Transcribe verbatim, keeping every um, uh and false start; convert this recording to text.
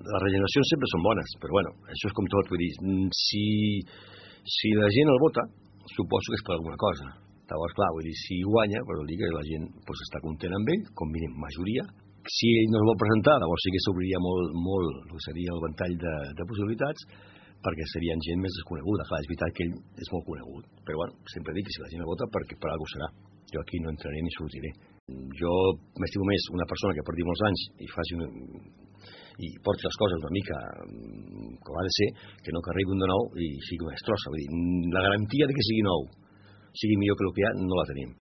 les regeneracions sempre són bones, però bueno, això és com tot, vull dir, si, si la gent el vota, suposo que és per alguna cosa. Llavors, clar, vull dir, si guanya, però vol dir que la gent pues, està content amb ell, com mínim majoria. Si ell no es vol presentar, llavors sí que s'obriria molt, molt, el que seria el ventall de, de possibilitats, perquè serien gent més desconeguda. Clar, és veritat que ell és molt conegut, però bueno, sempre dic que si la gent el vota, perquè per alguna serà. Jo aquí no entraré ni sortiré. Jo m'estimo més una persona que porti molts anys i faci un, i porti les coses una mica com ha de ser, que no que arribi un de nou i sigui una destrossa. Vull dir, la garantia de que sigui nou, sigui millor que el que hi ha, no la tenim.